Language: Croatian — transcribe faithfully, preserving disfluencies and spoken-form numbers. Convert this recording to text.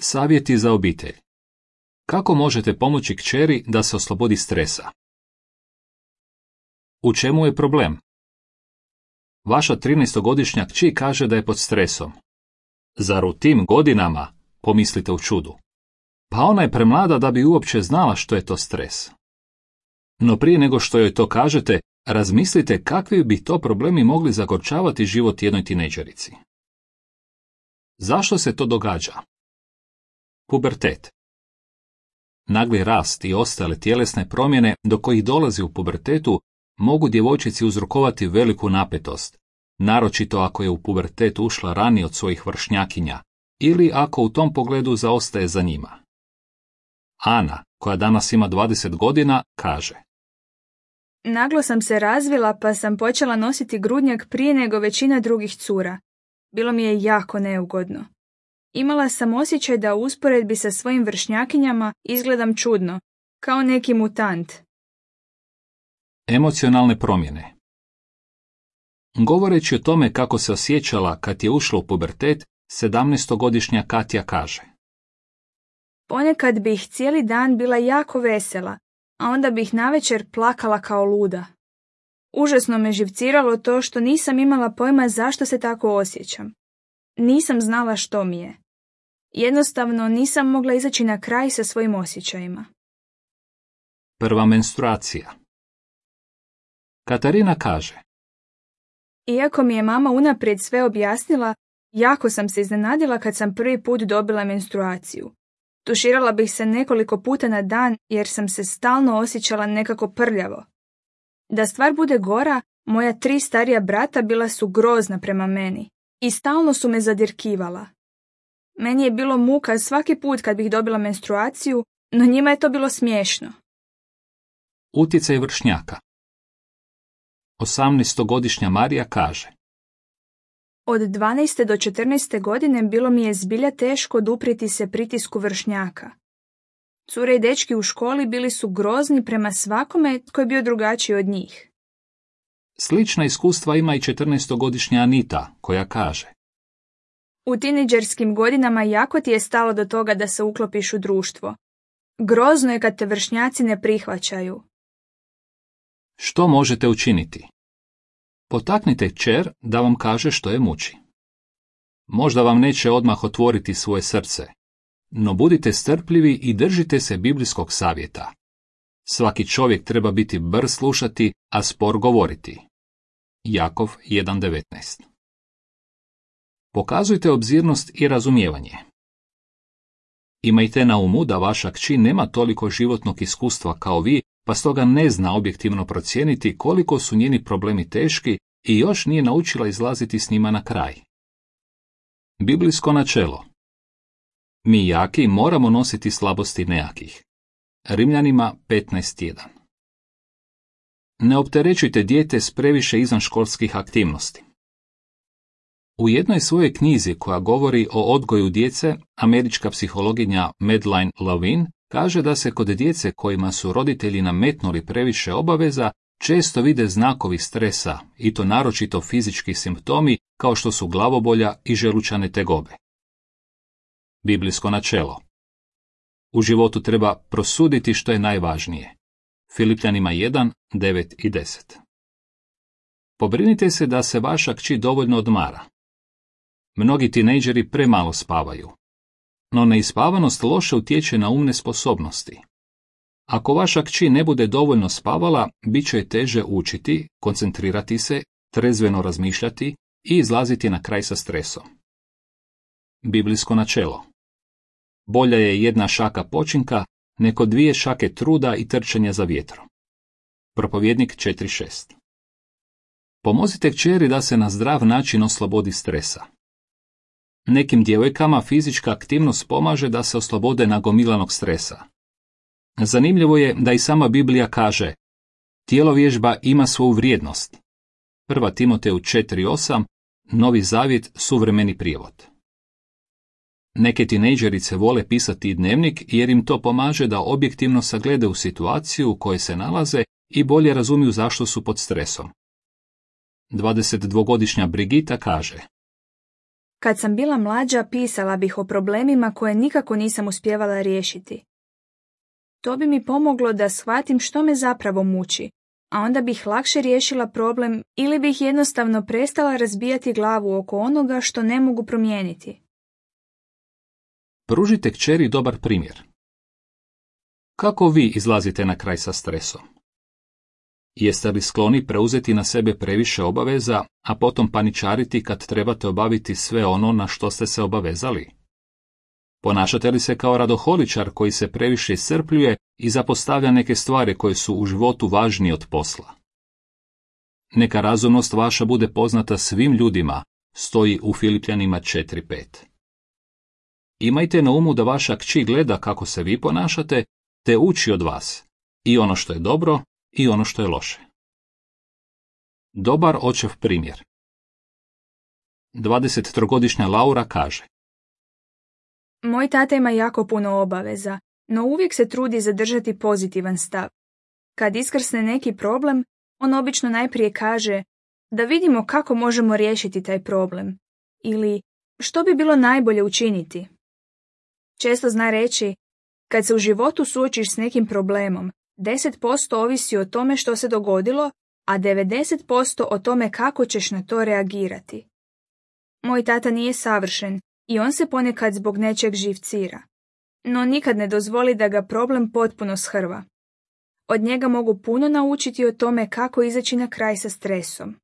Savjeti za obitelj. Kako možete pomoći kćeri da se oslobodi stresa? U čemu je problem? Vaša trinaestogodišnja kći kaže da je pod stresom. Zar u tim godinama, pomislite u čudu? Pa ona je premlada da bi uopće znala što je to stres. No prije nego što joj to kažete, razmislite kakvi bi to problemi mogli zagorčavati život jednoj tinejdžerici. Zašto se to događa? Pubertet. Nagli rast i ostale tjelesne promjene do kojih dolazi u pubertetu mogu djevojčici uzrokovati veliku napetost, naročito ako je u pubertet ušla ranije od svojih vršnjakinja ili ako u tom pogledu zaostaje za njima. Ana, koja danas ima dvadeset godina, kaže: Naglo sam se razvila pa sam počela nositi grudnjak prije nego većina drugih cura. Bilo mi je jako neugodno. Imala sam osjećaj da u usporedbi sa svojim vršnjakinjama izgledam čudno, kao neki mutant. Emocionalne promjene. Govoreći o tome kako se osjećala kad je ušla u pubertet, sedamnaestogodišnja Katja kaže: Ponekad bih cijeli dan bila jako vesela, a onda bih navečer plakala kao luda. Užasno me živciralo to što nisam imala pojma zašto se tako osjećam. Nisam znala što mi je. Jednostavno nisam mogla izaći na kraj sa svojim osjećajima. Prva menstruacija. Katarina kaže: Iako mi je mama unaprijed sve objasnila, jako sam se iznenadila kad sam prvi put dobila menstruaciju. Tuširala bih se nekoliko puta na dan jer sam se stalno osjećala nekako prljavo. Da stvar bude gora, moja tri starija brata bila su grozna prema meni i stalno su me zadirkivala. Meni je bilo muka svaki put kad bih dobila menstruaciju, no njima je to bilo smiješno. Utjecaj vršnjaka. osamnaestogodišnja Marija kaže: Od dvanaeste do četrnaeste godine bilo mi je zbilja teško oduprijeti se pritisku vršnjaka. Cure i dečki u školi bili su grozni prema svakome tko je bio drugačiji od njih. Slična iskustva ima i četrnaestogodišnja Anita, koja kaže: U tinejdžerskim godinama jako ti je stalo do toga da se uklopiš u društvo. Grozno je kad te vršnjaci ne prihvaćaju. Što možete učiniti? Potaknite kćer da vam kaže što je muči. Možda vam neće odmah otvoriti svoje srce, no budite strpljivi i držite se biblijskog savjeta. Svaki čovjek treba biti brz slušati, a spor govoriti. Jakov jedan devetnaest. Pokazujte obzirnost i razumijevanje. Imajte na umu da vaša kći nema toliko životnog iskustva kao vi, pa stoga ne zna objektivno procijeniti koliko su njeni problemi teški i još nije naučila izlaziti s njima na kraj. Biblijsko načelo. Mi jaki moramo nositi slabosti nejakih. Rimljanima petnaest jedan. Ne opterećujte dijete s previše izvanškolskih aktivnosti. U jednoj svojoj knjizi koja govori o odgoju djece, američka psihologinja Madeline Levine kaže da se kod djece kojima su roditelji nametnuli previše obaveza često vide znakovi stresa, i to naročito fizički simptomi kao što su glavobolja i želučane tegobe. Biblijsko načelo. U životu treba prosuditi što je najvažnije. Filipljanima jedan, devet i deset. Pobrinite se da se vaša kći dovoljno odmara. Mnogi tinejdžeri premalo spavaju. No neispavanost loše utječe na umne sposobnosti. Ako vaša kći ne bude dovoljno spavala, bit će je teže učiti, koncentrirati se, trezveno razmišljati i izlaziti na kraj sa stresom. Biblijsko načelo. Bolja je jedna šaka počinka nego dvije šake truda i trčanja za vjetrom. Propovjednik četiri šest. Pomozite kćeri da se na zdrav način oslobodi stresa. Nekim djevojkama fizička aktivnost pomaže da se oslobode nagomilanog stresa. Zanimljivo je da i sama Biblija kaže: tjelovježba ima svoju vrijednost. Prva Timoteju četiri osam, Novi zavjet, suvremeni prijevod. Neke tinejdžerice vole pisati dnevnik jer im to pomaže da objektivno sagledaju situaciju u kojoj se nalaze i bolje razumiju zašto su pod stresom. dvadesetdvogodišnja Brigita kaže: Kad sam bila mlađa, pisala bih o problemima koje nikako nisam uspjevala riješiti. To bi mi pomoglo da shvatim što me zapravo muči, a onda bih lakše riješila problem ili bih jednostavno prestala razbijati glavu oko onoga što ne mogu promijeniti. Pružite kćeri dobar primjer. Kako vi izlazite na kraj sa stresom? Jeste li skloni preuzeti na sebe previše obaveza, a potom paničariti kad trebate obaviti sve ono na što ste se obavezali? Ponašate li se kao radoholičar koji se previše iscrpljuje i zapostavlja neke stvari koje su u životu važnije od posla? Neka razumnost vaša bude poznata svim ljudima, stoji u Filipljanima četiri pet. Imajte na umu da vaša kći gleda kako se vi ponašate, te uči od vas, i ono što je dobro, i ono što je loše. Dobar očev primjer. dvadesettrogodišnja Laura kaže: Moj tata ima jako puno obaveza, no uvijek se trudi zadržati pozitivan stav. Kad iskrsne neki problem, on obično najprije kaže da vidimo kako možemo riješiti taj problem ili što bi bilo najbolje učiniti. Često zna reći, kad se u životu suočiš s nekim problemom, deset posto ovisi o tome što se dogodilo, a devedeset posto o tome kako ćeš na to reagirati. Moj tata nije savršen i on se ponekad zbog nečeg živcira, no nikad ne dozvoli da ga problem potpuno shrva. Od njega mogu puno naučiti o tome kako izaći na kraj sa stresom.